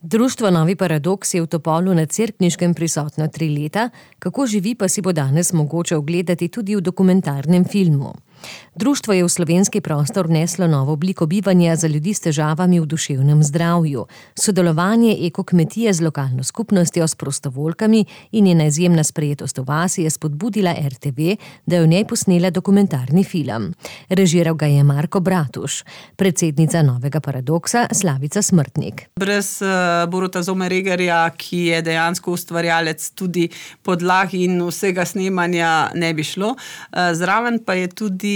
Društvo Novi paradoks je v Topolu na Cerkniškem prisotno 3 leta, kako živi pa si bo danes mogoče ogledati tudi v dokumentarnem filmu. Društvo je v slovenski prostor vneslo novo obliko bivanja za ljudi s težavami v duševnem zdravju. Sodelovanje ekokmetije z lokalno skupnostjo, s prostovoljkami in njena izjemna sprejetost v vasi je spodbudila RTV, da je v njej posnela dokumentarni film. Režiral ga je Marko Bratuš, predsednica Novega paradoksa Slavica Smrtnik. Brez Boruta Zomeregerja, ki je dejansko ustvarjalec tudi podlag in vsega snemanja, ne bi šlo. Zraven pa je tudi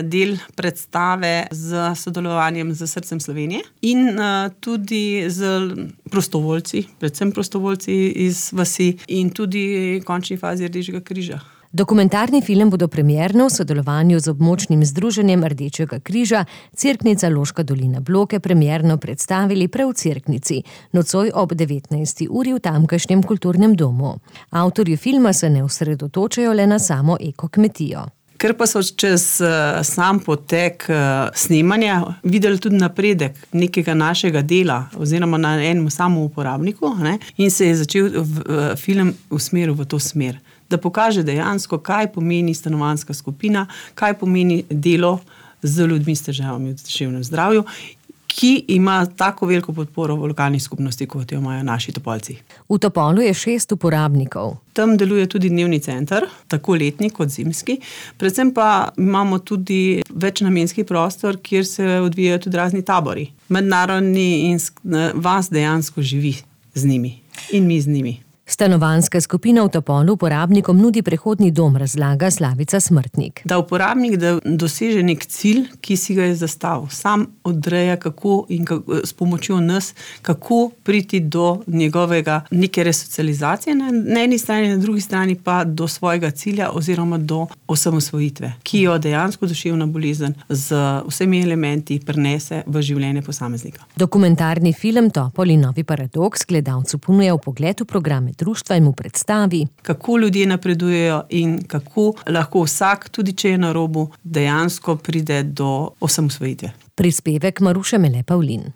del predstave z sodelovanjem z Srcem Slovenije in tudi z prostovoljci, predvsem prostovoljci iz vasi in tudi v končni fazi Rdečega križa. Dokumentarni film bodo premierno v sodelovanju z območnim združenjem Rdečega križa Cerknica Loška dolina Bloke premierno predstavili prav v Cerknici, nocoj ob 19. uri v tamkajšnjem kulturnem domu. Avtorji filma se ne osredotočajo le na samo ekokmetijo. Ker pa so čez sam potek snemanja videli tudi napredek nekega našega dela oziroma na enem samem uporabniku, in se je začel film usmeril v to smer, da pokaže dejansko, kaj pomeni stanovanjska skupina, kaj pomeni delo z ljudmi s težavami v duševnem zdravju, ki ima tako veliko podporo v lokalni skupnosti, kot jo imajo naši Topolci. V Topolu je 6 uporabnikov. Tam deluje tudi dnevni center, tako letni kot zimski. Predvsem pa imamo tudi večnamenski prostor, kjer se odvijajo tudi razni tabori. Mednarodni in vas dejansko živi z njimi in mi z njimi. Stanovanjska skupina v Topolu uporabnikom nudi prehodni dom, razlaga Slavica Smrtnik. Da uporabnik doseže nek cilj, ki si ga je zastavil. Sam odreja, kako in s pomočjo nas, kako priti do njegovega neke resocializacije na eni strani, na drugi strani pa do svojega cilja oziroma do osamosvojitve, ki jo dejansko duševna bolezen z vsemi elementi prenese v življenje posameznika. Dokumentarni film Topol in Novi paradoks gledalcu ponuja vpogled v programe društva in mu predstavi, kako ljudje napredujejo in kako lahko vsak, tudi če je na robu, dejansko pride do osamosvojitve. Prispevek Maruše Mele Pavlin.